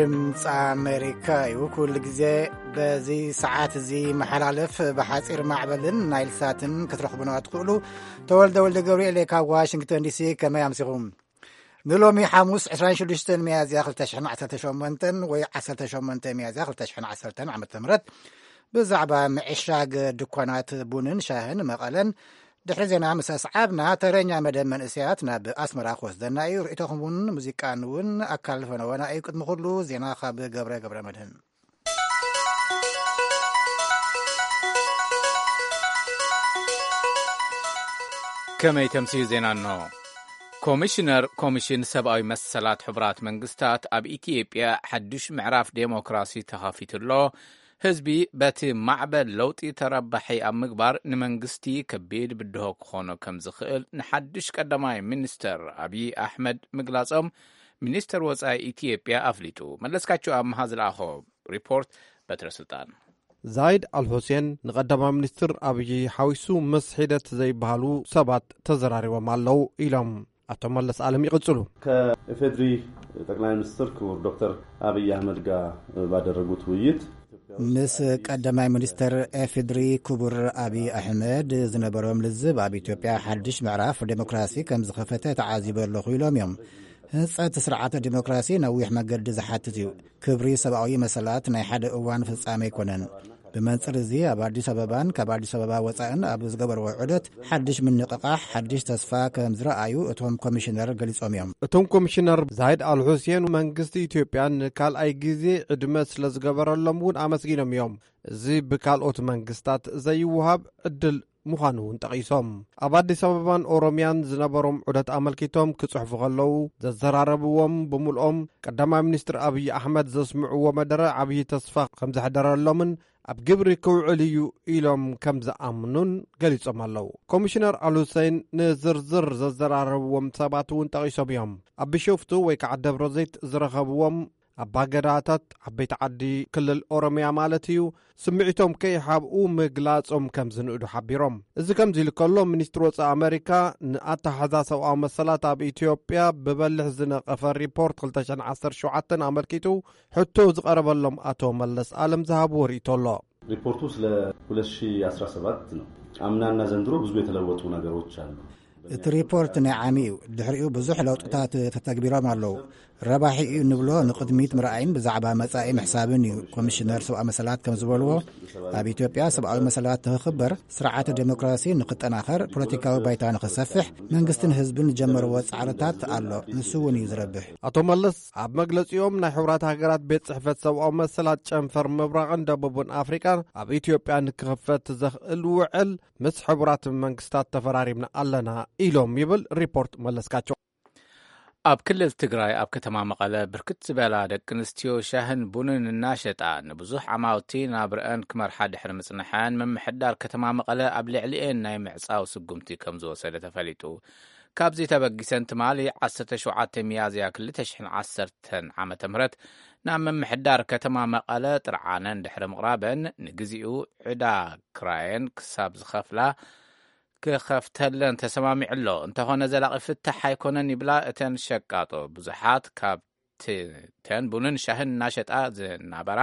ድምፂ ኣሜሪካ እዩ። ኩሉ ግዜ በዚ ሰዓት እዚ መሓላለፍ ብሓፂር ማዕበልን ናይል ሳትን ክትረኽቡና ትኽእሉ። ተወልደ ወልደ ገብርኤል ካብ ዋሽንግተን ዲሲ። ከመይ ኣምሲኹም? ንሎሚ ሓሙስ ዕስራን ሽዱሽተን ሚያዝያ ክልተ ሽሕን ዓሰርተ ሸሞንተን ወይ ዓሰርተ ሸሞንተ ሚያዝያ ክልተ ሽሕን ዓሰርተን ዓመተ ምህረት ብዛዕባ ምዕሻግ ድኳናት ቡንን ሻህን መቐለን ድሕሪ ዜና ምስ ኣስዓብና፣ ተረኛ መደብ መንእሰያት ናብ ኣስመራ ክወስደና እዩ። ርእይቶኹም እውን ሙዚቃን እውን ኣካል ፈነወና እዩ። ቅድሚ ኩሉ ዜና ካብ ገብረ ገብረ መድህን። ከመይ ተምስዩ ዜና እንሆ። ኮሚሽነር ኮሚሽን ሰብኣዊ መሰላት ሕቡራት መንግስታት ኣብ ኢትዮጵያ ሓዱሽ ምዕራፍ ዴሞክራሲ ተኸፊቱ ኣሎ። ህዝቢ በቲ ማዕበል ለውጢ ተረባሒ ኣብ ምግባር ንመንግስቲ ከቢድ ብድሆ ክኾኖ ከም ዝኽእል ንሓድሽ ቀዳማይ ሚኒስተር ኣብዪ ኣሕመድ ምግላጾም ሚኒስተር ወጻኢ ኢትዮጵያ ኣፍሊጡ። መለስካቸው ኣምሃ ዝለኣኾ ሪፖርት በትረ ስልጣን። ዛይድ ኣልሁሴን ንቀዳማይ ሚኒስትር ኣብዪ ሓዊሱ ምስ ሒደት ዘይበሃሉ ሰባት ተዘራሪቦም ኣለዉ ኢሎም ኣቶ መለስ ኣለም ይቕጽሉ። ከኢፌድሪ ጠቅላይ ሚኒስትር ክቡር ዶክተር አብይ አህመድ ጋር ባደረጉት ውይይት ምስ ቀዳማይ ሚኒስትር ኤፌድሪ ክቡር ኣብዪ ኣሕመድ ዝነበሮም ልዝብ ኣብ ኢትዮጵያ ሓድሽ ምዕራፍ ዴሞክራሲ ከም ዝኸፈተ ተዓዚበ ኣለኹ ኢሎም እዮም። ህንጸት ስርዓተ ዴሞክራሲ ነዊሕ መገዲ ዝሓትት እዩ። ክብሪ ሰብኣዊ መሰላት ናይ ሓደ እዋን ፍጻመ ኣይኮነን። ብመንጽር እዚ ኣብ ኣዲስ ኣበባን ካብ ኣዲስ ኣበባ ወጻእን ኣብ ዝገበርዎ ዑደት ሓድሽ ምንቕቓሕ፣ ሓድሽ ተስፋ ከም ዝረኣዩ እቶም ኮሚሽነር ገሊጾም እዮም። እቶም ኮሚሽነር ዛይድ ኣልሑሴን መንግስቲ ኢትዮጵያ ንካልኣይ ግዜ ዕድመ ስለ ዝገበረሎም እውን ኣመስጊኖም እዮም። እዚ ብካልኦት መንግስታት ዘይወሃብ ዕድል ምዃኑ እውን ጠቒሶም። ኣብ ኣዲስ ኣበባን ኦሮምያን ዝነበሮም ዑደት ኣመልኪቶም ክጽሕፉ ከለዉ ዘዘራረብዎም ብምልኦም ቀዳማይ ሚኒስትር ኣብዪ ኣሕመድ ዘስምዕዎ መደረ ዓብዪ ተስፋ ከም ዘሕደረሎምን ኣብ ግብሪ ክውዕል እዩ ኢሎም ከም ዝኣምኑን ገሊጾም ኣለዉ። ኮሚሽነር ኣልሁሴን ንዝርዝር ዘዘራረብዎም ሰባት እውን ጠቒሶም እዮም። ኣብ ቢሾፍቱ ወይ ከዓ ደብረ ዘይት ዝረኸብዎም ኣባገዳታት ዓበይቲ ዓዲ ክልል ኦሮምያ ማለት እዩ፣ ስምዒቶም ከይሓብኡ ምግላጾም ከም ዝንእዱ ሓቢሮም። እዚ ከምዚ ኢሉ ከሎ፣ ሚኒስትሪ ወጻኢ ኣመሪካ ንኣተሓዛ ሰብኣዊ መሰላት ኣብ ኢትዮጵያ ብበልሕ ዝነቐፈ ሪፖርት ክልተ ሽሕን ዓሰርተ ሸውዓተን ኣመልኪቱ ሕቶ ዝቐረበሎም ኣቶ መለስ ኣለም ዝሃብዎ ርእይቶ ኣሎ። ሪፖርቱ ስለ ሁለት ሺህ አስራ ሰባት ነው። አምናና ዘንድሮ ብዙ የተለወጡ ነገሮች አሉ። እቲ ሪፖርት ናይ ዓሚ እዩ። ድሕሪኡ ብዙሕ ለውጥታት ተተግቢሮም ኣለዉ። ረባሒ እዩ እንብሎ ንቕድሚት ምርኣይን ብዛዕባ መጻኢ ምሕሳብን እዩ። ኮሚሽነር ሰብኣዊ መሰላት ከም ዝበልዎ፣ ኣብ ኢትዮጵያ ሰብኣዊ መሰላት ንኽኽበር፣ ስርዓተ ዴሞክራሲ ንኽጠናኸር፣ ፖለቲካዊ ባይታ ንኽሰፍሕ መንግስትን ህዝብን ዝጀመርዎ ጻዕርታት ኣሎ። ንሱ እውን እዩ ዝረብሕ። ኣቶ መለስ ኣብ መግለጺኦም ናይ ሕቡራት ሃገራት ቤት ጽሕፈት ሰብኣዊ መሰላት ጨንፈር ምብራቕን ደቡብን ኣፍሪቃ ኣብ ኢትዮጵያ ንክኽፈት ዘኽእል ውዕል ምስ ሕቡራት መንግስታት ተፈራሪምና ኣለና ኢሎም ይብል ሪፖርት መለስካቸው። ኣብ ክልል ትግራይ ኣብ ከተማ መቐለ ብርክት ዝበላ ደቂ ኣንስትዮ ሻህን ቡንን እናሸጣ ንብዙሕ ዓማውቲ ናብረአን ክመርሓ ድሕሪ ምጽንሐን ምምሕዳር ከተማ መቐለ ኣብ ልዕሊኤን ናይ ምዕጻው ስጉምቲ ከም ዝወሰደ ተፈሊጡ። ካብዚ ተበጊሰን ትማሊ ዓሰርተ ሸውዓተ ሚያዝያ ክልተ ሽሕን ዓሰርተን ዓመተ ምህረት ናብ ምምሕዳር ከተማ መቐለ ጥርዓነን ድሕሪ ምቕራበን ንግዚኡ ዕዳ ክራየን ክሳብ ዝኸፍላ ክኸፍተለን ተሰማሚዑ ኣሎ። እንተኾነ ዘላቒ ፍታሕ ኣይኮነን ይብላ እተን ሸቃጦ። ብዙሓት ካብ ት-፣ ተን ቡንን ሻህን እናሸጣ ዝናበራ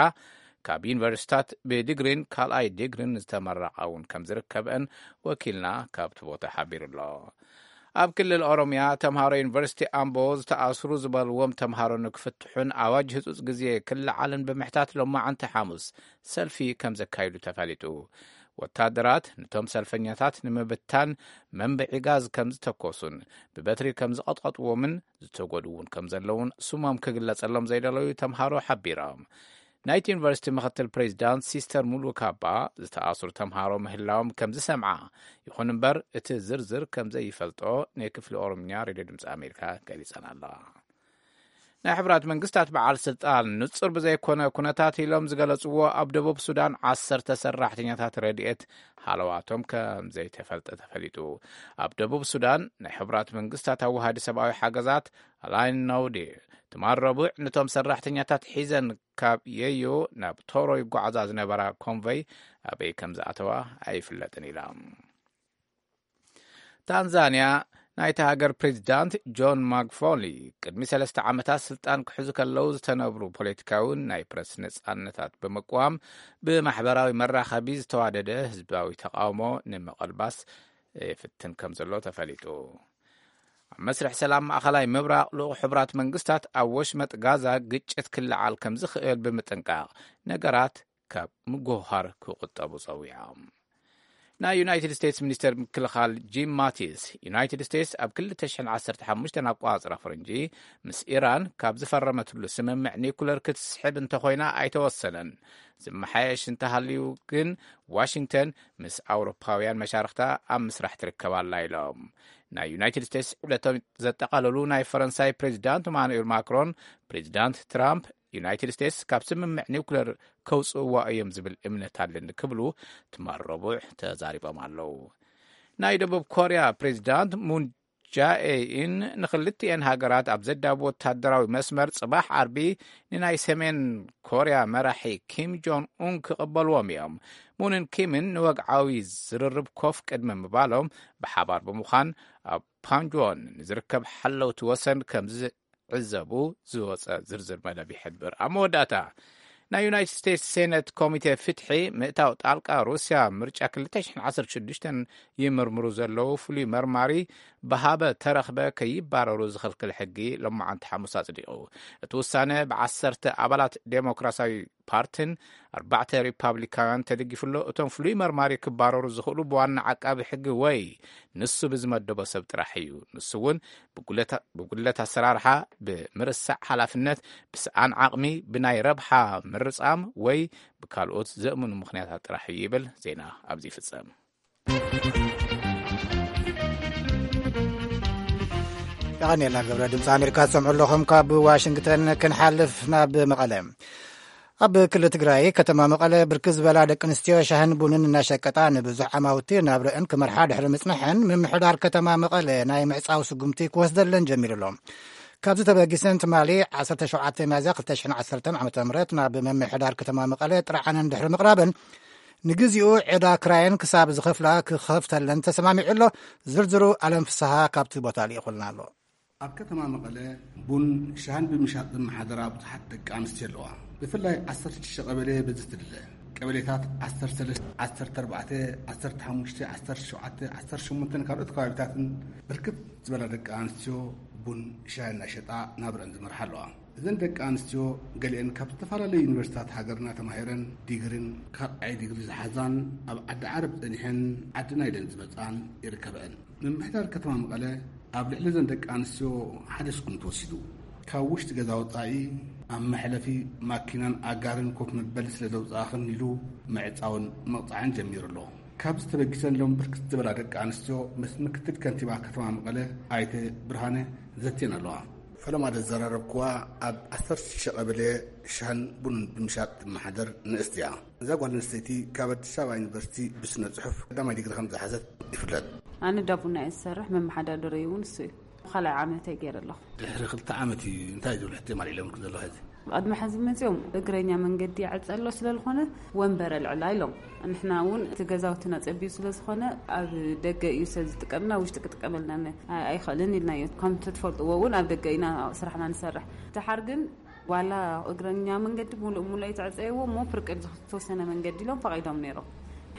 ካብ ዩኒቨርሲታት ብዲግሪን ካልኣይ ዲግሪን ዝተመረቓ እውን ከም ዝርከበን ወኪልና ካብቲ ቦታ ሓቢሩ ኣሎ። ኣብ ክልል ኦሮምያ ተምሃሮ ዩኒቨርሲቲ ኣምቦ ዝተኣስሩ ዝበልዎም ተምሃሮ ንክፍትሑን ኣዋጅ ህጹጽ ግዜ ክለዓልን ብምሕታት ሎማዓንቲ ሓሙስ ሰልፊ ከም ዘካይዱ ተፈሊጡ። ወታደራት ነቶም ሰልፈኛታት ንምብታን መንብዒ ጋዝ ከም ዝተኮሱን ብበትሪ ከም ዝቐጥቀጥዎምን ዝተጎድኡ እውን ከም ዘለውን ስሞም ክግለጸሎም ዘይደለዩ ተምሃሮ ሓቢሮም። ናይቲ ዩኒቨርሲቲ ምኽትል ፕሬዚዳንት ሲስተር ሙሉ ካባ ዝተኣስሩ ተምሃሮ ምህላዎም ከም ዝሰምዓ፣ ይኹን እምበር እቲ ዝርዝር ከም ዘይፈልጦ ናይ ክፍሊ ኦሮምኛ ሬድዮ ድምፂ ኣሜሪካ ገሊጸን ኣለዋ። ናይ ሕቡራት መንግስታት በዓል ስልጣን ንጹር ብዘይኮነ ኩነታት ኢሎም ዝገለጽዎ ኣብ ደቡብ ሱዳን ዓሰርተ ሰራሕተኛታት ረድኤት ሃለዋቶም ከም ዘይተፈልጠ ተፈሊጡ። ኣብ ደቡብ ሱዳን ናይ ሕቡራት መንግስታት ኣዋሃዲ ሰብኣዊ ሓገዛት ኣላይን ነውዲ ትማል ረቡዕ ነቶም ሰራሕተኛታት ሒዘን ካብ የዮ ናብ ቶሮ ይጓዓዛ ዝነበራ ኮንቮይ ኣበይ ከም ዝኣተዋ ኣይፍለጥን ኢላ። ታንዛንያ ናይቲ ሃገር ፕሬዚዳንት ጆን ማግፎሊ ቅድሚ ሰለስተ ዓመታት ስልጣን ክሕዙ ከለዉ ዝተነብሩ ፖለቲካውን ናይ ፕረስ ነጻነታት ብምቅዋም ብማሕበራዊ መራኸቢ ዝተዋደደ ህዝባዊ ተቃውሞ ንምቕልባስ ይፍትን ከም ዘሎ ተፈሊጡ። ኣብ መስርሕ ሰላም ማእኸላይ ምብራቕ ልኡኽ ሕቡራት መንግስታት ኣብ ወሽመጥ ጋዛ ግጭት ክለዓል ከም ዝኽእል ብምጥንቃቕ ነገራት ካብ ምጉህሃር ክቑጠቡ ጸዊዖም። ናይ ዩናይትድ ስቴትስ ሚኒስተር ምክልኻል ጂም ማቲስ ዩናይትድ ስቴትስ ኣብ ክልተ ሽሕን ዓሰርተ ሓሙሽተን ኣቋጽራ ፈረንጂ ምስ ኢራን ካብ ዝፈረመትሉ ስምምዕ ኒኩለር ክትስሕብ እንተኾይና ኣይተወሰነን። ዝመሓየሽ እንተሃልዩ ግን ዋሽንግተን ምስ ኣውሮፓውያን መሻርኽታ ኣብ ምስራሕ ትርከብ ኣላ ኢሎም። ናይ ዩናይትድ ስቴትስ ዕብለቶም ዘጠቓለሉ ናይ ፈረንሳይ ፕሬዚዳንት ኢማኑኤል ማክሮን ፕሬዚዳንት ትራምፕ ዩናይትድ ስቴትስ ካብ ስምምዕ ኒውክለር ከውፅእዋ እዮም ዝብል እምነት ኣለኒ ክብሉ ትማል ረቡዕ ተዛሪቦም ኣለዉ። ናይ ደቡብ ኮርያ ፕሬዚዳንት ሙን ጃኤኢን ንክልቲኤን ሃገራት ኣብ ዘዳብ ወታደራዊ መስመር ጽባሕ ዓርቢ ንናይ ሰሜን ኮርያ መራሒ ኪም ጆን ኡን ክቕበልዎም እዮም። ሙንን ኪምን ንወግዓዊ ዝርርብ ኮፍ ቅድሚ ምባሎም ብሓባር ብምዃን ኣብ ፓንጆን ንዝርከብ ሓለውቲ ወሰን ከም ዝዕዘቡ ዝወጸ ዝርዝር መደብ ይሕብር። ኣብ መወዳእታ ናይ ዩናይትድ ስቴትስ ሴነት ኮሚቴ ፍትሒ ምእታው ጣልቃ ሩስያ ምርጫ ክልተ ሽሕን ዓሰርተ ሽዱሽተን ይምርምሩ ዘለዉ ፍሉይ መርማሪ ብሃበ ተረኽበ ከይባረሩ ዝኽልክል ሕጊ ሎማዓንቲ ሓሙስ ኣጽዲቑ። እቲ ውሳነ ብዓሰርተ ኣባላት ዴሞክራሲያዊ ፓርትን ኣርባዕተ ሪፓብሊካውያን ተደጊፉ ኣሎ። እቶም ፍሉይ መርማሪ ክባረሩ ዝኽእሉ ብዋና ዓቃቢ ሕጊ ወይ ንሱ ብዝመደቦ ሰብ ጥራሕ እዩ። ንሱ እውን ብጉለት ኣሰራርሓ፣ ብምርሳዕ ሓላፍነት፣ ብሰኣን ዓቕሚ፣ ብናይ ረብሓ ምርጻም ወይ ብካልኦት ዘእምኑ ምኽንያታት ጥራሕ እዩ ይብል። ዜና ኣብዚ ይፍጸም። የቐንየልና ገብረ። ድምፂ ኣሜሪካ ትሰምዑ ኣለኹም ካብ ዋሽንግተን። ክንሓልፍ ናብ መቐለ። ኣብ ክልል ትግራይ ከተማ መቐለ ብርክት ዝበላ ደቂ ኣንስትዮ ሻህን ቡንን እናሸቀጣ ንብዙሕ ዓማውቲ ናብረአን ክመርሓ ድሕሪ ምጽንሐን፣ ምምሕዳር ከተማ መቐለ ናይ ምዕጻው ስጉምቲ ክወስደለን ጀሚሩ ኣሎ። ካብዚ ተበጊሰን ትማሊ ዓሰርተ ሸውዓተ ሚያዝያ ክልተ ሽሕን ዓሰርተን ዓመተ ምህረት ናብ ምምሕዳር ከተማ መቐለ ጥርዓነን ድሕሪ ምቕራበን፣ ንግዚኡ ዕዳ ክራየን ክሳብ ዝኸፍላ ክኸፍተለን ተሰማሚዑ ኣሎ። ዝርዝሩ ኣለም ፍስሃ ካብቲ ቦታ ልኢኹልና ኣሎ። ኣብ ከተማ መቐለ ቡን ሻህን ብምሻጥ ዝመሓደራ ብዙሓት ደቂ ኣንስትዮ ኣለዋ። ብፍላይ ዓሰርተ ሽዱሽተ ቀበሌ በዚ ትድለ። ቀበሌታት ዓሰርተ ሰለስተ፣ ዓሰርተ ኣርባዕተ፣ ዓሰርተ ሓሙሽተ፣ ዓሰርተ ሸውዓተ፣ ዓሰርተ ሸሞንተን ካልኦት ከባቢታትን ብርክት ዝበላ ደቂ ኣንስትዮ ቡን ሻሂ እናሸጣ ናብረን ዝመርሓ ኣለዋ። እዘን ደቂ ኣንስትዮ ገሊአን ካብ ዝተፈላለዩ ዩኒቨርሲታት ሃገርና ተማሂረን ዲግሪን ካልኣይ ዲግሪ ዝሓዛን ኣብ ዓዲ ዓረብ ጸኒሐን ዓድና ኢለን ዝመጻን ይርከበአን። ምምሕዳር ከተማ መቐለ ኣብ ልዕሊ እዘን ደቂ ኣንስትዮ ሓደ ስጉምቲ ወሲዱ። ካብ ውሽጢ ገዛ ወጻኢ ኣብ መሕለፊ ማኪናን ኣጋርን ኮፍ መበሊ ስለ ዘውጻእኽን ኢሉ ምዕጻውን ምቕጻዕን ጀሚሩ ኣሎ። ካብዚ ተበጊሰን ሎም ብርክት ዝበላ ደቂ ኣንስትዮ ምስ ምክትል ከንቲባ ከተማ መቐለ ኣይተ ብርሃነ ዘትየን ኣለዋ። ፈለማ ዘዘራረብክዋ ኣብ ዓሰርተ ሽዱሽተ ቀበሌ ሻህን ቡንን ብምሻጥ ትመሓደር ንእስቲ እያ። እዛ ጓል ኣንስተይቲ ካብ ኣዲስ ኣበባ ዩኒቨርሲቲ ብስነ ጽሑፍ ቀዳማይ ዲግሪ ከም ዝሓዘት ይፍለጥ። ኣነ ዳቡና እየ ዝሰርሕ፣ መመሓዳደረይ እውን እሱ እዩ። ካልኣይ ዓመተይ ገይረ ኣለኹ። ድሕሪ ክልተ ዓመት እዩ እንታይ ዝብሉ ሕቶ የማልእሎም ዘለኹ ሕዚ? ቅድሚ ሕዚ መፅኦም እግረኛ መንገዲ ይዕፀ ኣሎ ስለ ዝኾነ ወንበር ኣልዕላ ኢሎም። ንሕና እውን እቲ ገዛውትና ፀቢዩ ስለ ዝኾነ ኣብ ደገ እዩ ሰብ ዝጥቀምና፣ ውሽጢ ክጥቀመልና ነ-፣ ኣይ-፣ ኣይኽእልን ኢልናዮ። ከም ትፈልጥዎ እውን ኣብ ደገ ኢና ስራሕና ንሰርሕ። ድሓር ግን ዋላ እግረኛ መንገዲ ሙሉእ ሙሉእ ኣይተዕፀይዎ እሞ ፍርቂ ዝተወሰነ መንገዲ ኢሎም ፈቒዶም ነይሮም።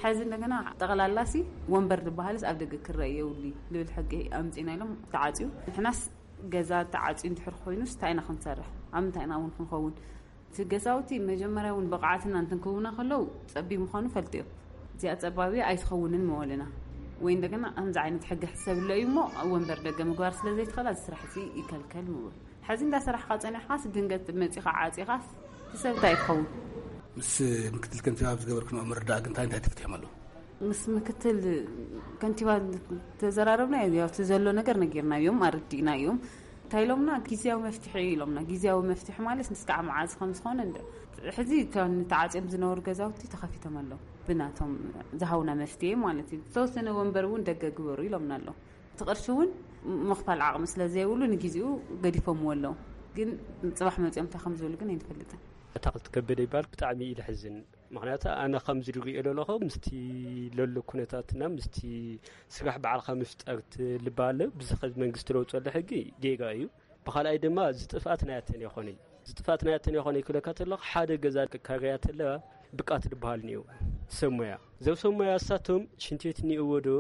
ሕዚ እንደገና ጠቕላላሲ ወንበር ዝበሃልስ ኣብ ደገ ክረአ የብሉ ልብል ሕጊ ኣምፂና ኢሎም ተዓፅዩ። ንሕናስ ገዛ ተዓፅዩ እንድሕር ኮይኑስ እንታይ ኢና ክንሰርሕ? ኣብ ምንታይ ኢና እውን ክንኸውን? እቲ ገዛውቲ መጀመርያ እውን ብቕዓትና እንትን ክህቡና ከለዉ ፀቢብ ምዃኑ ፈልጡ እዮም። እዚኣ ፀባብ እያ ኣይትኸውንን ምበሉና። ወይ እንደገና ከምዚ ዓይነት ሕጊ ሕሰብሎ እዩ እሞ ኣብ ወንበር ደገ ምግባር ስለ ዘይትኽእል እዚ ስራሕ እዚ ይከልከል ምበሉ። ሕዚ እንዳሰራሕካ ጸኒሕካስ ድንገት መጺኻ ዓጺኻስ እቲ ሰብ እንታይ ትኸውን? ምስ ምክትል ከንቲባ ኣብ ዝገበርክንኦ ምርዳእ ግን እንታይ እንታይ ተፈቲሖም ኣለዉ? ምስ ምክትል ከንቲባ ተዘራረብና፣ ያው እቲ ዘሎ ነገር ነጊርናዮም፣ ኣረዲእናዮም። እንታይ ኢሎምና? ግዝያዊ መፍትሒ ኢሎምና። ግዝያዊ መፍትሒ ማለት እስካዕ መዓዝ ከም ዝኾነ እንደ-፣ ሕዚ እቶም ተዓጽዮም ዝነበሩ ገዛውቲ ተኸፊቶም ኣለዉ። ብናቶም ዝሃቡና መፍትሒ ማለት እዩ። ዝተወሰነ ወንበር እውን ደገ ግበሩ ኢሎምና ኣለዉ። እቲ ቅርሺ እውን ምኽፋል ዓቕሚ ስለ ዘይብሉ ንግዜኡ ገዲፎምዎ ኣለዉ። ግን ጽባሕ መጺኦም እንታይ ከም ዝብሉ ግን ኣይንፈልጥን። ኣታኽልቲ ከበደ ይበሃል። ብጣዕሚ እዩ ለሕዝን። ምክንያቱ ኣነ ከምዚ ዝሪኦ ዘለኹ ምስቲ ለሎ ኩነታትና ምስቲ ስራሕ ባዕልካ ምፍጠር ትልባለ ብዚ ኸዚ መንግስቲ ለውፀሉ ሕጊ ጌጋ እዩ። ብኻልኣይ ድማ ዝጥፍኣት ናያተን ይኾነ ዝጥፍኣት ናያተን ይኾነ ክለካ ተለኹ ሓደ ገዛ ክካረያ ተለዋ ብቃት ዝበሃል እኒኦ ሰብ ሞያ ዘው ሰብ ሞያ እሳቶም ሽንት ቤት እኒኦዎ ዶ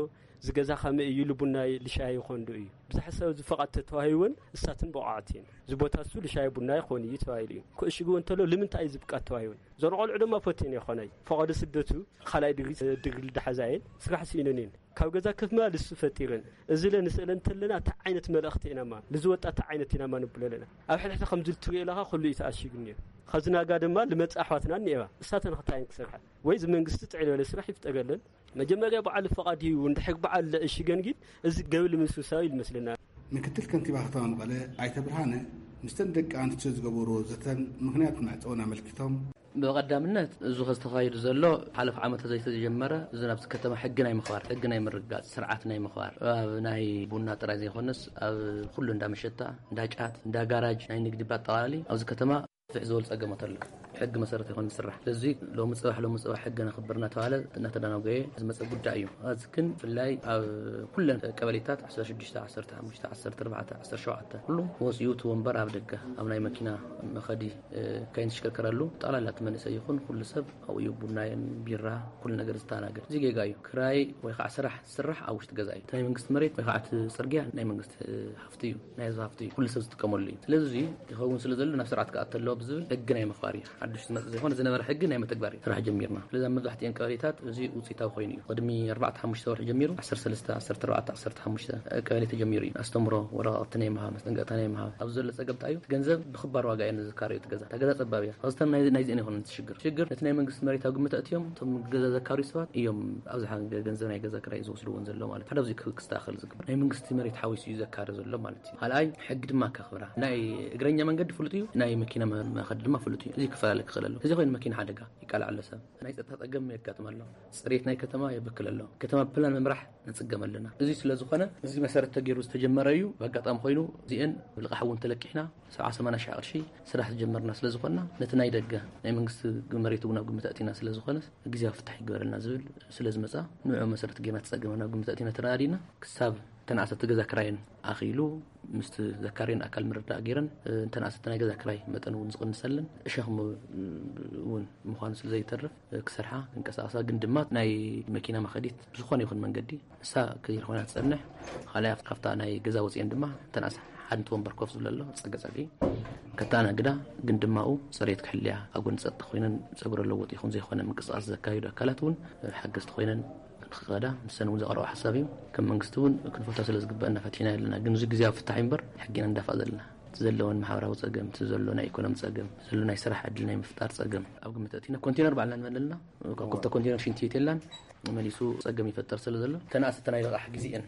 ዝገዛ ከመይ እዩ ልቡና ልሻይ ይኾን ዶ እዩ ብዝሓሳብ ዝፈቓድ ተተዋሂወን እሳትን ብቑዓት እየን ዝቦታ እሱ ልሻይ ቡና ይኾን እዩ ተባሂሉ እዩ ክእሽግዎ እንተሎ ልምንታይ እዩ ዝብቃት ተዋሂወን ዞን ቆልዑ ድማ ፈትየን ይኾናይ ፈቐዶ ስደቱ ካልኣይ ድግሪ ድግሪ ልዳሓዛየን ስራሕ ስኢነን እየን ካብ ገዛ ከፍማ ልሱ ፈጢረን እዚ ለ ንስእለ እንተለና እታ ዓይነት መልእኽቲ ኢናማ ልዝወጣ እታ ዓይነት ኢናማ ንብሎ ኣለና ኣብ ሕድሕዲ ከምዚ ልትሪኦ ኣለኻ ኩሉ እዩ ተኣሺጉ እኒኦ ኸዚ ናጋ ድማ ልመጽእ ኣሕዋትና እኒኤዋ እሳተን ኽታየን ክሰርሓ ወይ እዚ መንግስቲ ጥዕል በለ ስራሕ ይፍጠረለን መጀመርያ በዓል ፈቓድ እዩ እንድሕር በዓል ለእሽገን ግን እዚ ገብል ምስውሳዊ ይመስለና ምክትል ከንቲባ ከተማ መቐለ ኣይተ ብርሃነ ምስተን ደቂ ኣንስትዮ ዝገበርዎ ዘተን ምኽንያት መዕፀውን ኣመልኪቶም ብቐዳምነት እዚ ከዝተኻየዱ ዘሎ ሓለፍ ዓመት ዘይተጀመረ እዚ ናብዚ ከተማ ሕጊ ናይ ምኽባር ሕጊ ናይ ምርጋፅ ስርዓት ናይ ምኽባር ኣብ ናይ ቡና ጥራይ ዘይኮነስ ኣብ ኩሉ እንዳ መሸታ እንዳ ጫት እንዳ ጋራጅ ናይ ንግዲ ባጠቓላሊ ኣብዚ ከተማ ፍሕ ዝበሉ ጸገማት ኣሎ ሕጊ መሰረት ይኾን ዝስራሕ ስለዚ ሎሚ ጽባሕ ሎሚ ጽባሕ ሕጊ ነኽብር እናተባለ እናተዳናጎየ ዝመፀ ጉዳይ እዩ ኣዚ ግን ብፍላይ ኣብ ኩለን ቀበሌታት 16 14 17 ኩሉ ወፂኡ እቲ ወንበር ኣብ ደገ ኣብ ናይ መኪና መኸዲ ከይንሽከርከረሉ ጠቕላላ እቲ መንእሰይ ይኹን ኩሉ ሰብ ኣብኡ ቡናየን ቢራ ኩሉ ነገር ዝተናገድ እዚ ጌጋ እዩ ክራይ ወይ ከዓ ስራሕ ዝስራሕ ኣብ ውሽጢ ገዛ እዩ እቲ ናይ መንግስቲ መሬት ወይ ከዓ እቲ ፅርግያ ናይ መንግስቲ ሃፍቲ እዩ ናይ ህዝቢ ሃፍቲ እዩ ኩሉ ሰብ ዝጥቀመሉ እዩ ስለዚ እዚ ይኸውን ስለ ዘሎ ናብ ስርዓት ክኣተ ኣለዎ ብዝብል ሕጊ ናይ ምኽባር እዩ ሓዱሽ ዝመፅእ ዘይኮነ ዝነበረ ሕጊ ናይ ምትግባር እዩ ስራሕ ጀሚርና ስለዚ ኣብ መብዛሕትኤን ቀበሌታት እዚ ውፅኢታዊ ኮይኑ እዩ ቅድሚ ኣርባዕተ ሓሙሽተ ወርሒ ጀሚሩ 13 14 15 ቀበሌ ተጀሚሩ እዩ ኣስተምሮ ወረቃቅቲ ናይ ምሃብ መስጠንቀቅታ ናይ ምሃብ ኣብዚ ዘሎ ፀገም እንታይ እዩ እቲ ገንዘብ ብክባር ዋጋ እየ ንዝካረዩ እቲ ገዛ እታ ገዛ ፀባብ እያ ካብዚተን ናይ- ናይዚአን ይኮነ እቲ ሽግር ሽግር ነቲ ናይ መንግስቲ መሬት ኣብ ግምት ኣእትዮም እቶም ገዛ ዘካርዩ ሰባት እዮም ኣብዝሓ ገንዘብ ናይ ገዛ ክራይ ዝወስድዎን ዘሎ ማለት ሓደ ኣብዚ ክስተካከል ዝግበር ናይ መንግስቲ መሬት ሓዊሱ እዩ ዘካሪ ዘሎ ማለት እዩ ካልኣይ ሕጊ ድማ ከኽብራ ናይ እግረኛ መንገዲ ፍሉጥ እዩ ናይ መኪና መኸዲ ድማ ፍሉጥ እዩ እዚ ክፈላለ ክኽእል ኣሎ እዚ ኮይኑ መኪና ሓደጋ ይቃላዕ ኣሎ ሰብ ናይ ፀጥታ ፀገም የጋጥም ኣሎ ፅሬት ናይ ከተማ የበክል ኣሎ ከተማ ብፕላን ምምራሕ ንፅገም ኣለና እዚ ስለ ዝኾነ እዚ መሰረት ተገይሩ ዝተጀመረ እዩ ብኣጋጣሚ ኮይኑ እዚአን ብልቃሕ እውን ተለቂሕና ሰብዓ ሰማንያ ሺሕ ቅርሺ ስራሕ ዝጀመርና ስለ ዝኾንና ነቲ ናይ ደገ ናይ መንግስቲ መሬት እውን ኣብ ግምት ኣእቲና ስለ ዝኾነ ግዜያዊ ፍታሕ ይግበረልና ዝብል ስለ ዝመፃ ንዑ መሰረት ጌርና ተፀገመ ናብ ግምት ኣእቲና ተረዳዲና ክሳብ ተናእሰቲ ገዛ ክራየን ኣኽኢሉ ምስቲ ዘካርየን ኣካል ምርዳእ ገይረን እንተናእሰቲ ናይ ገዛ ክራይ መጠን እውን ዝቕንሰለን እሸኽሚ እውን ምዃኑ ስለ ዘይተርፍ ክሰርሓ ክንቀሳቐሳ ግን ድማ ናይ መኪና መኸዲት ዝኾነ ይኹን መንገዲ ንሳ ከይኾና ትጸንሕ። ካልኣይ ካብታ ናይ ገዛ ወጺኤን ድማ እተን ኣስ ሓንቲ ወንበር ኮፍ ዝብለሎ ጸገ ጸግዒ ከተኣናግዳ ግን ድማ ኡ ጽሬት ክሕልያ ኣብ ጎኒ ጸጥታ ኮይነን ጸጉረ ለውጥ ይኹን ዘይኮነ ምንቅስቃስ ዘካይዱ ኣካላት እውን ሓገዝቲ ኮይነን ክኸዳ ንሰን እውን ዘቕረቡ ሓሳብ እዩ። ከም መንግስቲ እውን ክንፈቶ ስለ ዝግበአና ፈቲሕና ኣለና። ግን እዚ ግዜያዊ ፍታሕ እዩ እምበር ሕጊና ንዳፋእ ዘለና። እቲ ዘለወን ማሕበራዊ ጸገም፣ እቲ ዘሎ ናይ ኢኮኖሚ ጸገም፣ ዘሎ ናይ ስራሕ ዕድል ናይ ምፍጣር ጸገም ኣብ ግምት ኣእቲና ኮንቴነር ባዕልና ንመለልና ካብ ክልተ ኮንቴነር ሽንቲ ቤት የላን መሊሱ ጸገም ይፈጠር ስለ ዘሎ ተናእሰቲ ናይ ልቓሕ ግዜኤን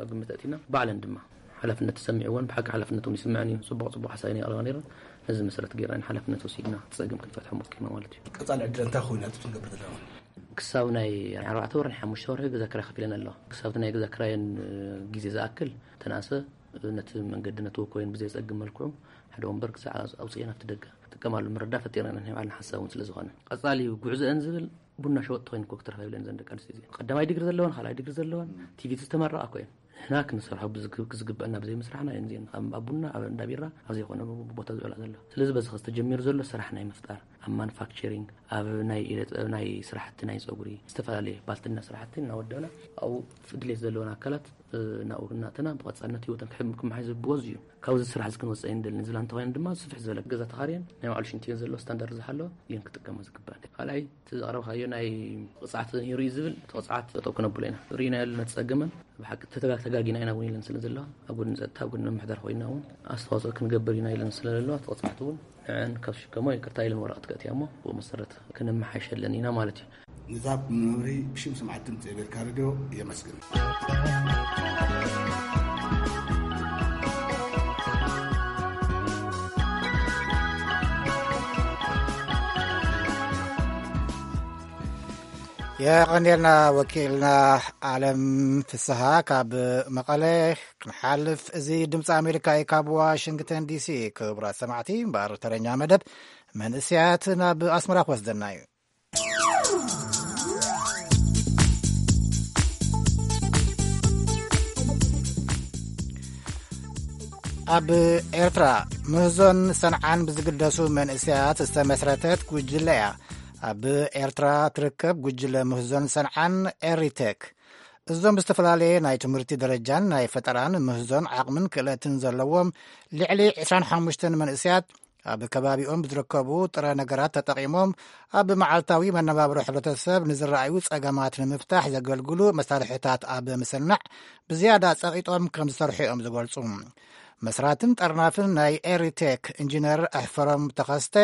ኣብ ግምት ኣእቲና ባዕለን ድማ ሓላፍነት ተሰሚዕወን ብሓቂ ሓላፍነት እውን ይስምዐን እዩ። ጽቡቕ ጽቡቕ ሓሳብ ናይ ኣቕረባ ነይረን። ነዚ መሰረት ገይርና ሓላፍነት ወሲድና ጸገም ክንፈትሖ ሞኪርና ማለት እዩ። ቀጻሊ ዕድል እንታይ ኮይኑ ኣብዚ ክንገብር ዘለና? ክሳብ ናይ ኣርባዕተ ወርሒ ሓሙሽተ ወርሒ ገዛ ክራይ ከፊለን ኣለዋ። ክሳብቲ ናይ ገዛ ክራየን ግዜ ዝኣክል ተናእሰ ነቲ መንገዲ ነቲ ወኮይን ብዘይ ጸግም መልክዑ ሓደ ወንበር ክሳዕ ኣውጽኤን ኣብቲ ደገ ክጥቀማሉ ምርዳ ፈጢርና ናይ ባዕልና ሓሳብ እውን ስለ ዝኾነ ቀጻሊ ጉዕዞአን ዝብል ቡና ሸወጥ ተኮይን ኮ ክትረኸብ ኢለን ዘን ደቂ ኣንስትዮ እዚአን ቀዳማይ ዲግሪ ዘለወን ካልኣይ ዲግሪ ዘለወን ቲቪቲ ዝተመረቓ ኮይን ንሕና ክንሰርሖ ብዝግ- ክዝግበአና ብዘይ ምስራሕና እየን እዚአን ኣብ ኣብ ቡና ኣብ እንዳ ቢራ ኣብ ዘይኮነ ቦታ ዝውዕላ ዘለዋ ስለዚ በዚ ዝተጀሚሩ ዘሎ ስራሕ ናይ ምፍጣር ኣብ ማኑፋክቸሪንግ ኣብ ናይ ኢደ ጥበብ ናይ ስራሕቲ ናይ ፀጉሪ ዝተፈላለየ ባልትና ስራሕቲ እናወደብና ኣብኡ ድሌት ዘለወን ኣካላት ናብኡ እናእተና ብቐፃልነት ህይወተን ክሕም ክመሓየሽ ዝብዎ እዚ እዩ። ካብዚ ስራሕ እዚ ክንወፅእ ኣይንደልን ዝብላ እንተኾይነን ድማ ስፍሕ ዝበለ ገዛ ተኻርየን ናይ ባዕሉ ሽንቲ እየን ዘለዎ ስታንዳርድ ዝሓለወ እየን ክጥቀማ ዝግባአን። ካልኣይ እቲ ዘቕረብካዮ ናይ ቅፅዓት ንርኢ ዝብል እቲ ቅፅዓት ጠጠው ክነብሎ ኢና። ርኢናዮ ኣለና ፀገመን ብሓቂ ተተጋ- ተጋጊና ኢና እውን ኢለን ስለ ዘለዋ ኣብ ጎድኒ ፀጥታ ኣብ ጎድኒ ምምሕዳር ኮይና እውን ኣስተዋፅኦ ክንገብር ኢና ኢለን ስለ ዘለዋ እቲ ቅፅዓት እውን ንዐን ካብ ዝሽከሞ ይቅርታ ኢለን ወረቐት ከእትያ እሞ ብኡ መሰረት ክንመሓይሸለን ኢና ማለት እዩ። ንዛብ መምርሂ ብሽም ስምዓት ድምፂ ኣሜሪካ ሬድዮ የመስግን። የቐንየልና ወኪልና ዓለም ፍስሃ ካብ መቐለ። ክንሓልፍ እዚ ድምፂ ኣሜሪካ እዩ ካብ ዋሽንግተን ዲሲ። ክቡራት ሰማዕቲ እምበኣር ተረኛ መደብ መንእስያት ናብ ኣስመራ ክወስደና እዩ። ኣብ ኤርትራ ምህዞን ሰንዓን ብዝግደሱ መንእሰያት ዝተመስረተት ጉጅለ እያ። ኣብ ኤርትራ ትርከብ ጉጅለ ምህዞን ሰንዓን ኤሪቴክ፣ እዞም ዝተፈላለየ ናይ ትምህርቲ ደረጃን ናይ ፈጠራን ምህዞን ዓቕምን ክእለትን ዘለዎም ልዕሊ ዕስራን ሓሙሽተን መንእሰያት ኣብ ከባቢኦም ብዝርከቡ ጥረ ነገራት ተጠቒሞም ኣብ መዓልታዊ መነባብሮ ሕብረተሰብ ንዝረኣዩ ጸገማት ንምፍታሕ ዘገልግሉ መሳርሕታት ኣብ ምስናዕ ብዝያዳ ጸቒጦም ከም ዝሰርሑ እዮም ዝገልጹ። መስራትን ጠርናፍን ናይ ኤሪቴክ ኢንጂነር ኣሕፈሮም ተኸስተ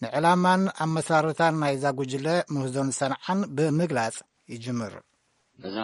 ንዕላማን ኣመሰራርታን ናይዛ ጉጅለ ምህዞን ሰንዓን ብምግላጽ ይጅምር። እዛ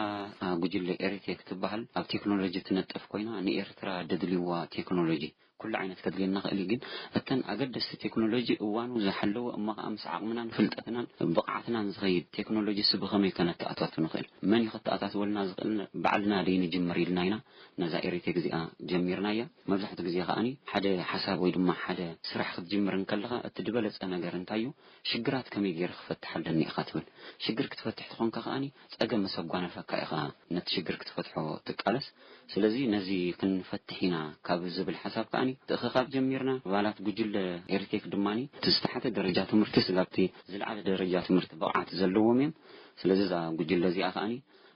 ጉጅለ ኤሪቴክ ትበሃል ኣብ ቴክኖሎጂ ትነጥፍ ኮይና ንኤርትራ ደድልይዋ ቴክኖሎጂ ኩሉ ዓይነት ከድልየና ክእል እዩ። ግን እተን ኣገደስቲ ቴክኖሎጂ እዋኑ ዝሓለወ እሞ ከዓ ምስ ዓቕምናን ፍልጠትናን ብቕዓትናን ዝኸይድ ቴክኖሎጂ ስ ብኸመይ ከነተኣታቱ ንኽእል? መን እዩ ከተኣታትወልና ዝኽእል? ባዕልና ደይ ንጅምር ኢልና ኢና ነዛ ኤሪቴክ እዚኣ ጀሚርናያ። መብዛሕትኡ ግዜ ከዓኒ ሓደ ሓሳብ ወይ ድማ ሓደ ስራሕ ክትጅምር እንከለኻ እቲ ዝበለጸ ነገር እንታይ እዩ? ሽግራት ከመይ ገይረ ክፈትሕ ኣለኒ ኢኻ ትብል። ሽግር ክትፈትሕ ትኾንካ ከዓኒ ጸገም መሰጓነፈካ ኢኻ ነቲ ሽግር ክትፈትሖ ትቃለስ። ስለዚ ነዚ ክንፈትሕ ኢና ካብ ዝብል ሓሳብ ከዓኒ ትእኽኻብ ጀሚርና። ኣባላት ጉጅለ ኤሪቴክ ድማኒ እቲ ዝተሓተ ደረጃ ትምህርቲ ስጋብቲ ዝለዓለ ደረጃ ትምህርቲ ብቕዓት ዘለዎም እዮም። ስለዚ እዛ ጉጅለ እዚኣ ከዓኒ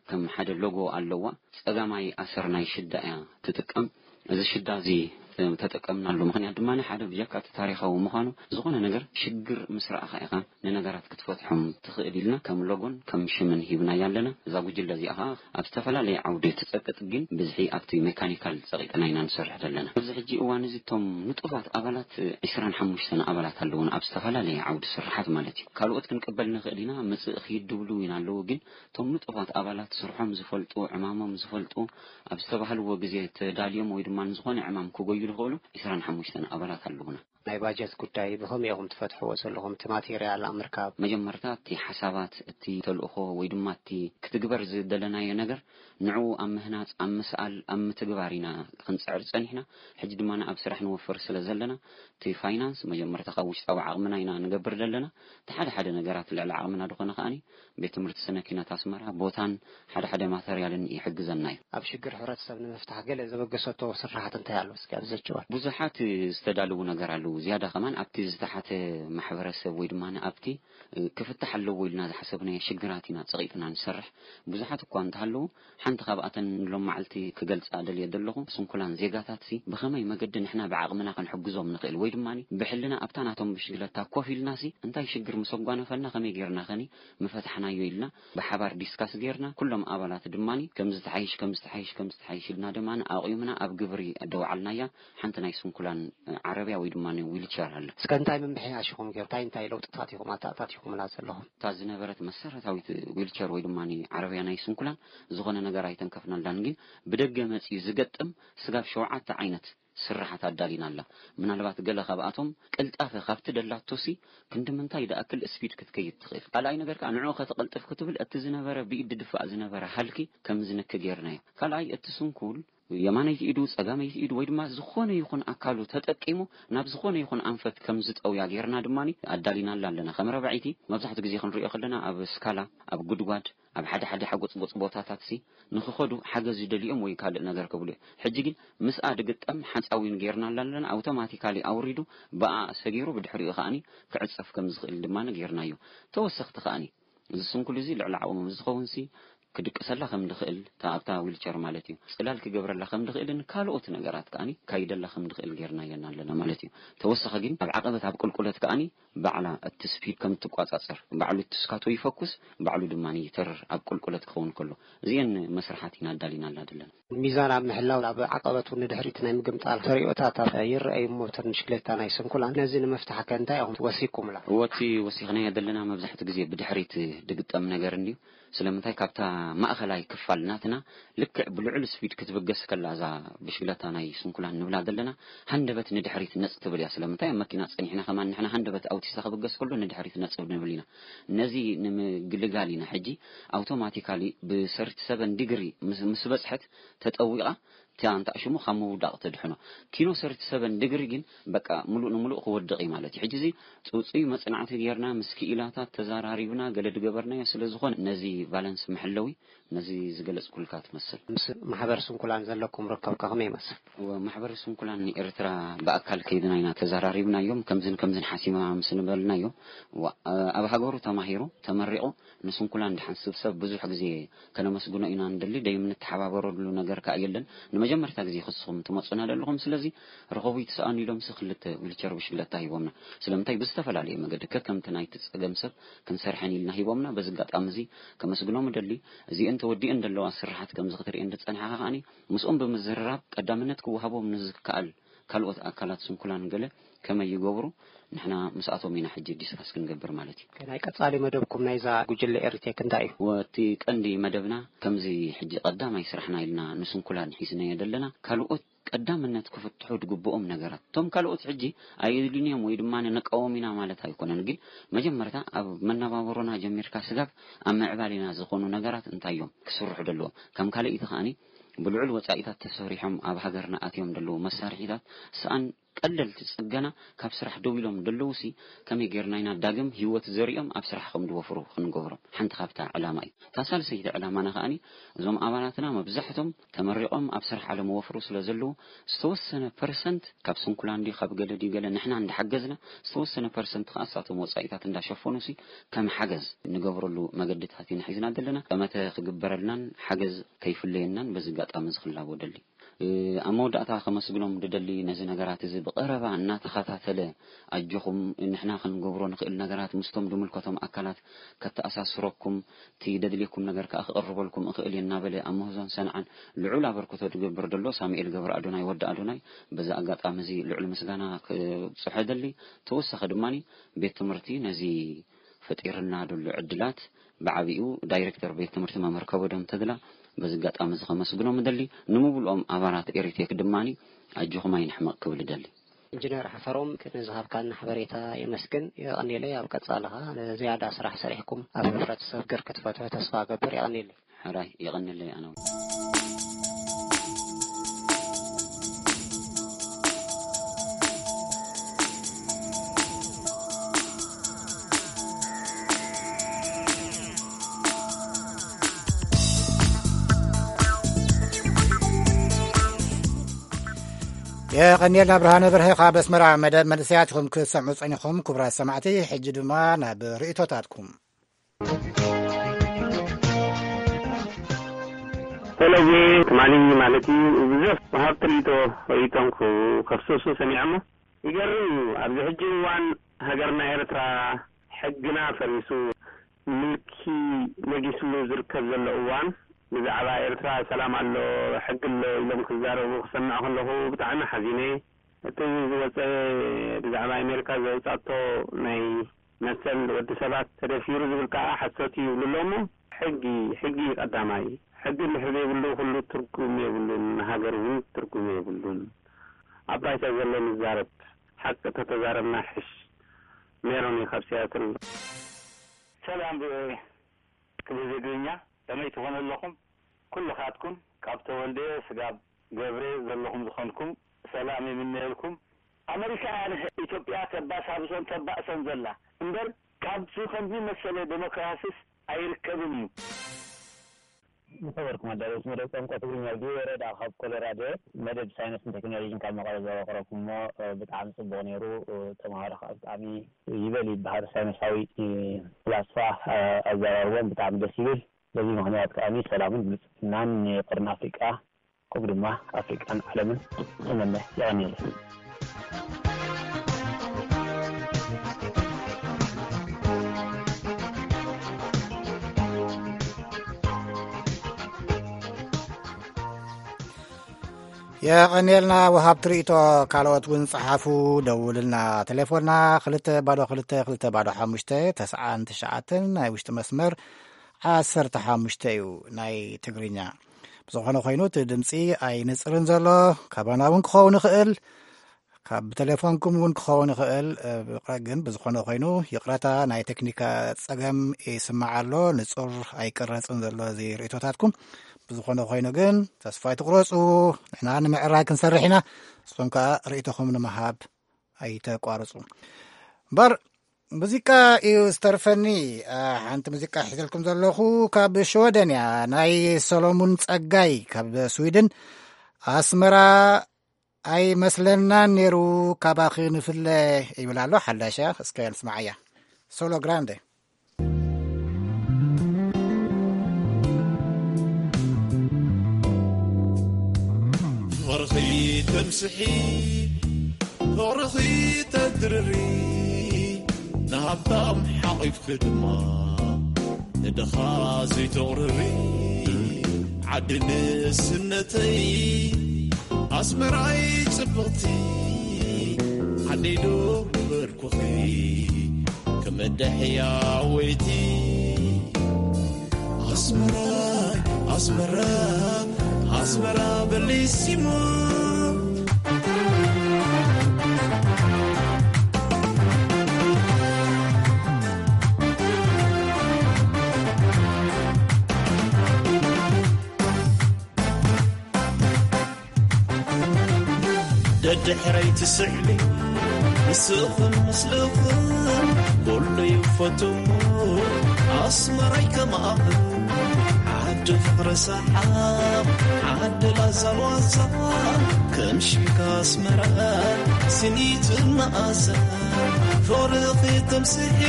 ከም ሓደ ሎጎ ኣለዋ። ጸጋማይ ኣሰር ናይ ሽዳ እያ ትጥቀም። እዚ ሽዳ እዚ ተጠቀምናሉ ምኽንያት ድማ ሓደ ብጀካ እቲ ታሪኻዊ ምዃኑ ዝኾነ ነገር ሽግር ምስ ረኣኻ ኢኻ ንነገራት ክትፈትሖም ትኽእል ኢልና ከም ሎጎን ከም ሽምን ሂብናያ ኣለና። እዛ ጉጅለ እዚኣ ኸዓ ኣብ ዝተፈላለየ ዓውዲ ትጸቅጥ፣ ግን ብዝሒ ኣብቲ ሜካኒካል ጸቂጥና ኢና ንሰርሕ ዘለና። ኣብዚ ሕጂ እዋን እዚ እቶም ንጡፋት ኣባላት ዕስራን ሓሙሽተን ኣባላት ኣለዉን ኣብ ዝተፈላለየ ዓውዲ ስርሓት ማለት እዩ። ካልኦት ክንቅበል ንኽእል ኢና፣ ምጽእ ኺድ ድብሉ እውን ኣለዉ፣ ግን እቶም ንጡፋት ኣባላት ስርሖም ዝፈልጡ፣ ዕማሞም ዝፈልጡ፣ ኣብ ዝተባህልዎ ግዜ ተዳልዮም ወይ ድማ ንዝኾነ ዕማም ክጎዩ ዝኽእሉ ዕስራን ሓሙሽተን ኣባላት ኣለዉና። ናይ ባጀት ጉዳይ ብኸመይ ኢኹም ትፈትሕዎ ዘለኹም? እቲ ማቴርያል ኣብ ምርካብ? መጀመርታ እቲ ሓሳባት፣ እቲ ተልእኾ ወይ ድማ እቲ ክትግበር ዝደለናዮ ነገር ንዕኡ ኣብ ምህናጽ፣ ኣብ ምስኣል፣ ኣብ ምትግባር ኢና ክንጽዕር ጸኒሕና። ሕጂ ድማ ኣብ ስራሕ ንወፍር ስለ ዘለና እቲ ፋይናንስ መጀመርታ ካብ ውሽጣዊ ዓቕምና ኢና ንገብር ዘለና። እቲ ሓደ ሓደ ነገራት ልዕሊ ዓቕምና ዝኾነ ከዓኒ ቤት ትምህርቲ ስነ ኪነት ኣስመራ ቦታን ሓደ ሓደ ማተርያልን ይሕግዘና እዩ። ኣብ ሽግር ሕብረተሰብ ንምፍታሕ ገለ ዘበገሰቶ ስርሓት እንታይ ኣሎ? እስኪ ኣብዚ ዘጭወር። ብዙሓት ዝተዳለዉ ነገር ኣለዉ። ዝያዳ ከማን ኣብቲ ዝተሓተ ማሕበረሰብ ወይ ድማ ኣብቲ ክፍታሕ ኣለዎ ኢልና ዝሓሰብናዮ ሽግራት ኢና ጸቒጥና ንሰርሕ። ብዙሓት እኳ እንተሃለዉ፣ ሓንቲ ካብኣተን ሎም መዓልቲ ክገልጻ ደልየ ዘለኹ፣ ስንኩላን ዜጋታትሲ ብኸመይ መገዲ ንሕና ብዓቕምና ክንሕግዞም ንኽእል ወይ ድማ ብሕልና ኣብታ ናቶም ብሽግለታ ኮፍ ኢልናሲ እንታይ ሽግር ምስ ኣጓነፈና ከመይ ጌርና ኸኒ ምፈታሕናዮ ኢልና ብሓባር ዲስካስ ጌርና፣ ኩሎም ኣባላት ድማ ከም ዝተሓይሽ፣ ከም ዝተሓይሽ፣ ከም ዝተሓይሽ ኢልና ድማ ኣቑምና ኣብ ግብሪ ደውዓልናያ። ሓንቲ ናይ ስንኩላን ዓረብያ ወይ ድማ ዊልቸር ኣለ። እስከ እንታይ ምምሕያሽ ኢኹም ጌር-፣ እንታይ እንታይ ለውጥታት ኢኹም ኣታ-፣ ኣታቲኹምላ ዘለኹም? እታ ዝነበረት መሰረታዊት ዊልቸር ወይ ድማ ዓረብያ ናይ ስንኩላን ዝኾነ ነገር ኣይተንከፍናላን፣ ግን ብደገ መጺኡ ዝገጥም ስጋብ ሸውዓተ ዓይነት ስርሓት ኣዳሊና ኣላ። ምናልባት ገለ ካብኣቶም ቅልጣፈ ካብቲ ደላቶሲ ክንዲ ምንታይ ደኣክል ስፒድ ክትከይድ ትኽእል። ካልኣይ ነገር ከኣ ንዕኡ ከተቐልጥፍ ክትብል እቲ ዝነበረ ብኢድ ድድፋእ ዝነበረ ሃልኪ ከም ዝንኪ ጌርናዮ። ካልኣይ እቲ ስንኩል የማነይቲ ኢዱ፣ ጸጋመይቲ ኢዱ ወይ ድማ ዝኾነ ይኹን ኣካሉ ተጠቂሙ ናብ ዝኾነ ይኹን ኣንፈት ከም ዝጠውያ ጌርና ድማ ኣዳሊናላ ኣለና። ከም ረባዒቲ መብዛሕትኡ ግዜ ክንሪኦ ከለና ኣብ ስካላ፣ ኣብ ጉድጓድ፣ ኣብ ሓደ ሓደ ሓጎጽጎጽ ቦታታትሲ ንኽኸዱ ሓገዝ ዝደልዮም ወይ ካልእ ነገር ክብሉ እዮም። ሕጂ ግን ምስኣ ድግጠም ሓጻዊን ጌርናላ ኣለና። ኣውቶማቲካሊ ኣውሪዱ ብኣ ሰጊሩ ብድሕሪኡ ከኣኒ ክዕጸፍ ከም ዝኽእል ድማ ጌርናዮ። ተወሰኽቲ ከኣኒ እዚ ስንኩል እዚ ልዕሊ ዓቕሙ ምስ ዝኸውንሲ ክድቅሰላ ከም ድኽእል፣ እታ ኣብታ ዊልቸር ማለት እዩ፣ ጽላል ክገብረላ ከም ድኽእልን ካልኦት ነገራት ከኣኒ ካይደላ ከም ድኽእል ጌርናየን ኣለና ማለት እዩ። ተወሳኺ ግን ኣብ ዓቐበት ኣብ ቁልቁለት ከኣኒ ባዕላ እቲ ስፒድ ከም ትቋጻጸር፣ ባዕሉ እቲ ስካቶ ይፈኩስ፣ ባዕሉ ድማ ይተርር ኣብ ቁልቁለት ክኸውን ከሎ። እዚአን መስርሓት ኢና ኣዳሊናላ ዘለና። ሚዛን ኣብ ምሕላው ኣብ ዓቐበት እውን ንድሕሪት ናይ ምግምጣል ተርእዮታት ይረኣዩ እሞ፣ እተን ብሽክሌታ ናይ ስንኩላን ነዚ ንምፍታሕ ከ እንታይ ኢኹም ወሲኩምላ? እወ፣ እቲ ወሲኽናዮ ዘለና መብዛሕትኡ ግዜ ብድሕሪት ድግጠም ነገር እንድዩ። ስለምንታይ? ካብታ ማእኸላይ ክፋል ናትና ልክዕ ብልዑል ስፒድ ክትብገስ ከላ እዛ ብሽክለታ ናይ ስንኩላን ንብላ ዘለና ሃንደበት ንድሕሪት ነጽ ትብል እያ። ስለምንታይ? ኣብ መኪና ጸኒሕና ከማን ንሕና ሃንደበት ኣውቲስታ ክብገስ ከሎ ንድሕሪት ነጽ ንብል ኢና። ነዚ ንምግልጋል ኢና ሕጂ ኣውቶማቲካሊ ብሰርቲ ሰቨን ዲግሪ ምስ፣ ምስ በጽሐት ተጠዊቓ እታ እንተኣሽሙ ካብ ምውዳቕ ተድሕኖ። ኪኖ ሰርቲ ሰቨን ድግሪ ግን በቃ ምሉእ ንምሉእ ክወድቕ እዩ ማለት እዩ። ሕጂ እዚ ጽውጽዩ መጽናዕቲ ጌርና ምስ ክኢላታት ተዘራሪብና ገለ ድገበርናዮ ስለ ዝኾነ ነዚ ቫለንስ መሐለዊ ነዚ ዝገለጽኩልካ ትመስል። ምስ ማሕበር ስንኩላን ዘለኩም ርክብ ከ ከመይ ይመስል? እወ፣ ማሕበር ስንኩላን ንኤርትራ ብኣካል ከይድና ኢና ተዘራሪብናዮም። ከምዝን ከምዝን ሓሲብና ምስ ንበልናዮ፣ እወ፣ ኣብ ሃገሩ ተማሂሩ ተመሪቑ ንስንኩላን ድሓን ስብሰብ ብዙሕ ግዜ ከነመስግኖ ኢና ንደሊ። ደይም ንተሓባበረሉ ነገር ከኣ የለን። ንመጀመርታ ግዜ ክስኹም ትመጹና ደለኹም፣ ስለዚ ርኸቡ ይትስኣኑ ኢሎምሲ ክልተ ዊልቸር ብሽክለታ ሂቦምና። ስለምንታይ ብዝተፈላለየ መገዲ ከከምቲ ናይቲ ጸገም ሰብ ክንሰርሐን ኢልና ሂቦምና። በዚ ኣጋጣሚ እዚ ከመስግኖም እደሊ። እዚአን ተወዲአን ደለዋ ስራሓት ከምዚ ክትርእየን ዝጸንሓኻ ከኣኒ ምስኦም ብምዝርራብ ቀዳምነት ክወሃቦም ንዝከኣል ካልኦት ኣካላት ስንኩላን ገለ ከመይ ይገብሩ፣ ንሕና ምስኣቶም ኢና ሕጂ ዲስካስ ክንገብር ማለት እዩ። ናይ ቀጻሊ መደብኩም ናይዛ ጉጅለ ኤሪቴክ እንታይ እዩ? ወቲ ቀንዲ መደብና ከምዚ ሕጂ ቀዳማይ ስራሕና ኢልና ንስንኩላን ሒዝናዮ ዘለና፣ ካልኦት ቀዳምነት ክፍትሑ ዝግብኦም ነገራት። እቶም ካልኦት ሕጂ ኣየድልዩን እዮም ወይ ድማ ንቃወም ኢና ማለት ኣይኮነን፣ ግን መጀመርታ ኣብ መነባበሮና ጀሚርካ ስጋብ ኣብ ምዕባሌና ዝኾኑ ነገራት እንታይ እዮም ክስርሑ ደለዎም? ከም ካልኣይቲ ከኣኒ ብልዑል ወጻኢታት ተሰሪሖም ኣብ ሃገርና ኣትዮም ደለዉ መሳርሒታት ሰኣን ቀለልቲ ጽገና ካብ ስራሕ ደው ኢሎም ደለዉሲ ከመይ ጌርና ኢና ዳግም ህይወት ዘሪኦም ኣብ ስራሕ ከም ዝወፍሩ ክንገብሮም ሓንቲ ካብታ ዕላማ እዩ። እታ ሳልሰይቲ ዕላማና ከኣኒ እዞም ኣባላትና መብዛሕቶም ተመሪቖም ኣብ ስራሕ ኣለመወፍሩ ስለ ዘለዉ ዝተወሰነ ፐርሰንት ካብ ስንኩላን ድዩ ካብ ገለ ድዩ ገለ ንሕና እንዳሓገዝና ዝተወሰነ ፐርሰንት ከኣ እሳቶም ወጻኢታት እንዳሸፈኑሲ ከም ሓገዝ ንገብረሉ መገድታት ኢና ሒዝና ዘለና። ጠመተ ክግበረልናን ሓገዝ ከይፍለየናን በዚ ኣጋጣሚ እዚ ክላቦ ደሊ። እ፣ ኣብ መወዳእታ ከመስግኖም ድደሊ ነዚ ነገራት እዚ ብቐረባ እናተኸታተለ ኣጆኹም ንሕና ክንገብሮ ንኽእል ነገራት ምስቶም ድምልከቶም ኣካላት ከተኣሳስረኩም እቲ ደድልየኩም ነገር ከኣ ክቕርበልኩም እኽእል እየ እናበለ ኣብ ምህዞን ሰንዓን ልዑል ኣበርክቶ ድገብር ደሎ ሳሙኤል ገብረ ኣዶናይ ወዲ ኣዶናይ በዚ ኣጋጣሚ እዚ ልዑል ምስጋና ክብጽሖ ደሊ። ተወሳኺ ድማ ቤት ትምህርቲ ነዚ ፈጢርና ደሎ ዕድላት ብዓቢኡ ዳይሬክተር ቤት ትምህርቲ መምህር ከበዶም ተድላ በዚ ኣጋጣሚ እዚ ከመስግኖም እደሊ። ንምብልኦም ኣባላት ኤሪቴክ ድማ ኣጆኹም ኣይንሕመቕ ክብል እደሊ። ኢንጂነር ሓፈሮም ንዝሃብካና ሓበሬታ የመስግን። የቐንየለይ። ኣብ ቀጻሊ ኸኣ ንዝያዳ ስራሕ ሰሪሕኩም ኣብ ሕብረተሰብ ገር ክትፈትሑ ተስፋ እገብር። የቐንየለይ። ሕራይ የቐንየለይ ኣነ እውን። የቐንየልና ብርሃነ በርሀ ካብ ኣስመራ። መደብ መንእሰያት ኢኹም ክትሰምዑ ጸኒኹም ክቡራት ሰማዕቲ። ሕጂ ድማ ናብ ርእይቶታትኩም። ፈለጌ ትማሊ ማለት እዩ ብዙሕ ወሃብቲ ርእይቶ ርእይቶም ክኸፍስሱ ሰሚዐ እሞ ይገርም እዩ። ኣብዚ ሕጂ እዋን ሃገርና ኤርትራ ሕግና ፈሪሱ ምልኪ ነጊስሉ ዝርከብ ዘሎ እዋን ብዛዕባ ኤርትራ ሰላም ኣሎ ሕጊ ኣሎ ኢሎም ክዛረቡ ክሰምዕ ከለኹ ብጣዕሚ ሓዚነ። እቲ ዝወፀ ብዛዕባ ኣሜሪካ ዘውፃቶ ናይ መሰል ወዲ ሰባት ተደፊሩ ዝብል ከዓ ሓሶት እዩ ይብሉ ኣሎ እሞ ሕጊ ሕጊ እዩ ቀዳማይ። ሕጊ እንድሕር ዘይብሉ ኩሉ ትርጉም የብሉን፣ ሃገር እውን ትርጉም የብሉን። ኣብ ባይታ ዘሎ ንዛረብ፣ ሓቂ ተተዛረብና ሕሽ። ሜሮን እዩ ካብ ሲያትል። ሰላም ቪኦኤ ክብሪ ትግርኛ ከመይ ትኾኑ ኣለኹም? ኩልኻትኩም ካብ ተወልደ ስጋብ ገብረ ዘለኹም ዝኾንኩም ሰላም ይምነየልኩም። ኣመሪካ እያ ንኢትዮጵያ ተባሳብሶን ተባእሶን ዘላ እምበር ካብዚ ከምዚ መሰለ ዴሞክራሲስ ኣይርከብን እዩ። ዝኸበርኩም ኣዳለውቲ መደብ ቋንቋ ትግርኛ ቪኦኤ ረዳ ካብ ኮሎራዶ መደብ ሳይንስን ቴክኖሎጂን ካብ መቐለ ዘረክረኩም እሞ ብጣዕሚ ፅቡቕ ነይሩ። ተምሃሮ ከዓ ብጣዕሚ ይበል ይበሃል ሳይንሳዊ ፍላስፋ ኣዘራርቦም ብጣዕሚ ደስ ይብል። በዚ ምኽንያት ከኣኒ ሰላምን ብልፅግናን ንቀርኒ ኣፍሪቃ ከምኡ ድማ ኣፍሪቃን ዓለምን እመነ። የቐንየለይ። የቐንየልና ወሃብቲ ርእይቶ። ካልኦት እውን ጸሓፉ፣ ደውልና። ቴሌፎንና ክልተ ባዶ ክልተ ክልተ ባዶ ሓሙሽተ ተስዓን ትሽዓተን ናይ ውሽጢ መስመር ዓሰርተ ሓሙሽተ እዩ ናይ ትግርኛ። ብዝኾነ ኮይኑ እቲ ድምፂ ኣይንፅርን ዘሎ ካባና እውን ክኸውን ይኽእል ካብ ብቴሌፎንኩም እውን ክኸውን ይኽእል። ግን ብዝኾነ ኮይኑ ይቕረታ ናይ ቴክኒካ ፀገም ይስማዕ ኣሎ። ንፁር ኣይቅረፅን ዘሎ እዚ ርእይቶታትኩም። ብዝኾነ ኮይኑ ግን ተስፋ ኣይትቑረጹ። ንሕና ንምዕራይ ክንሰርሕ ኢና። ንስኹም ከኣ ርእይቶኹም ንምሃብ ኣይተቋርጹ። እምበር ሙዚቃ እዩ ዝተርፈኒ። አ፣ ሓንቲ ሙዚቃ ሒዘልኩም ዘለኹ ካብ ሽወደን እያ። ናይ ሰሎሙን ጸጋይ ካብ ስዊድን። ኣስመራ ኣይመስለናን ነይሩ ካባኺ ንፍለ ይብል ኣሎ። ሓዳሽ እያ፣ እስከ ንስማዓያ። ሶሎ ግራንደ። ፍቕርኺ ተምስሒ፣ ፍቕርኺ ተድርሪ፣ ንሃብታም ሓቒፍኪ ድማ ንድኻ ዘይተቕርሪ። ዓዲ ንእስነተይ ኣስመራይ ጽብቕቲ፣ ዓደይ ዶ ምበልኩኺ፣ ከመደሕያ ወይቲ። ኣስመራይ፣ ኣስመራ፣ ኣስመራ በሊሲሞ። ደድሕረይ ትስዕቢ ንስኽን ምስልኽን፣ ኩሉ ይፈትሞ ኣስመራይ ከማኽን። ዓዲ ፍቕሪ ሰሓቕ፣ ዓዲ ላዛ ዋዛ፣ ከም ሽምካ ኣስመራ ስኒትን መኣዛ። ፍቕርኺ ተምስሒ፣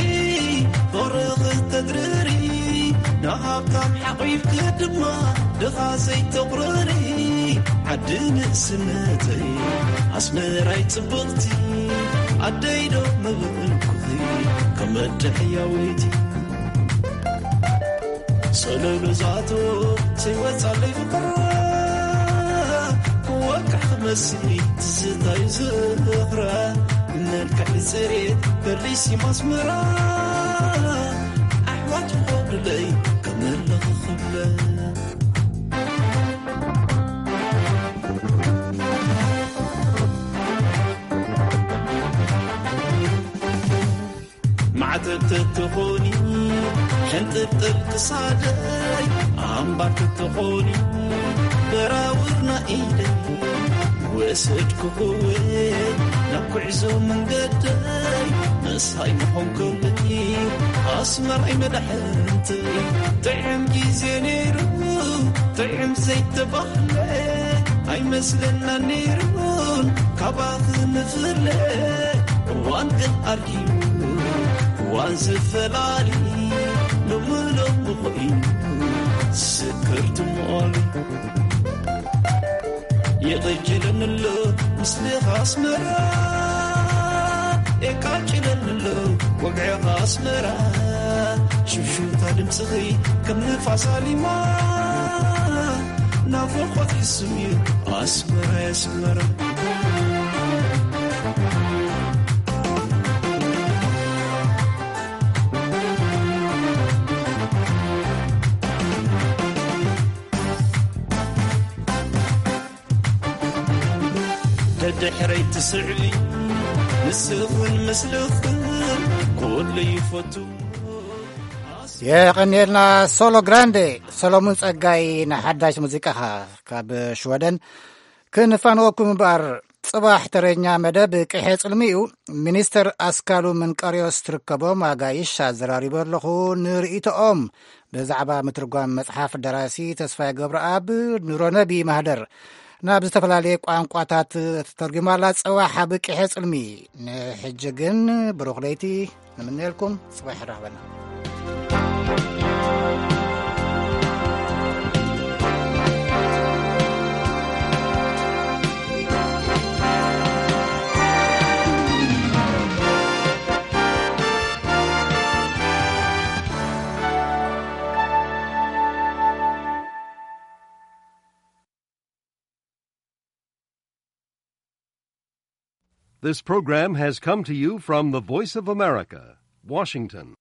ፍቕርኺ ተድርሪ፣ ንሃብታም ሓቒፍኪ ድማ ድኻ ዘይተቑርሪ። ዓዲ ንእስነተይ ኣስመራይ ጽብቕቲ፣ ዓደይ ዶ ምብእልኩኺ ከም መድሕያወይቲ። ሰለሉ ዝኣትዎ ዘይወጻለይ ፍቕራ፣ ክወቅዕ ክመስል ትዝታይ ዝኽራ። መልክዕ ጽሬት በሊሲም ኣስመራ፣ ኣሕዋት ይኸብርለይ ከመለኺ ክብለ። ማዕተብ ተትኾኒ ሕንጥጥል ክሳደይ፣ ኣምባር ተትኾኒ በራውርና ኢደይ፣ ወሰድኩኽወይ ናብ ጉዕዞ መንገደይ። ምሳይ ምኾንኩለይ ኣስመራይ መድሕንተይ። ጥዕም ግዜ ነይሩ ጥዕም ዘይተባህለ ኣይመስለና ነይሩን ካባኺ ንፍለ። እዋን ግን ኣርጊቡ እዋን ዝፈላሊ፣ ሎሚ ሎሚ ኾይኑ ስክር ትሞሊ። የቐጭለኒ ኣሎ ምስልኻ ኣስመራ፣ የቃጭለኒ ኣሎ ወግዕኻ ኣስመራ። ሽምሽምታ ድምፅኺ ከም ንፋስ ኣሊማ፣ ናፍቖት ይስምዩ ኣስመራ፣ ኣስመራ። ደድሕረይ ትስዕቢ ንስኽን ምስልኽን ኩሉ ይፈቱ። የቐንየልና ሶሎ ግራንዴ። ሰሎሙን ጸጋይ፣ ንሓዳሽ ሙዚቃኻ ካብ ሽወደን ክንፋንወኩም እምበኣር፣ ጽባሕ ተረኛ መደብ ቅሐ ጽልሚ እዩ። ሚኒስተር ኣስካሉ ምንቀርዮስ ትርከቦም ኣጋይሽ ኣዘራሪበ ኣለኹ። ንርእይቶኦም ብዛዕባ ምትርጓም መጽሓፍ ደራሲ ተስፋይ ገብረኣብ ኑሮነቢ ማህደር ናብ ዝተፈላለየ ቋንቋታት ተተርጒማላ ጽባሕ ኣብ ቅሐ ጽልሚ። ንሕጂ ግን ብሩኽ ለይቲ ንምነየልኩም። ጽባሕ ይራኸበና። This program has come to you from the Voice of America, Washington.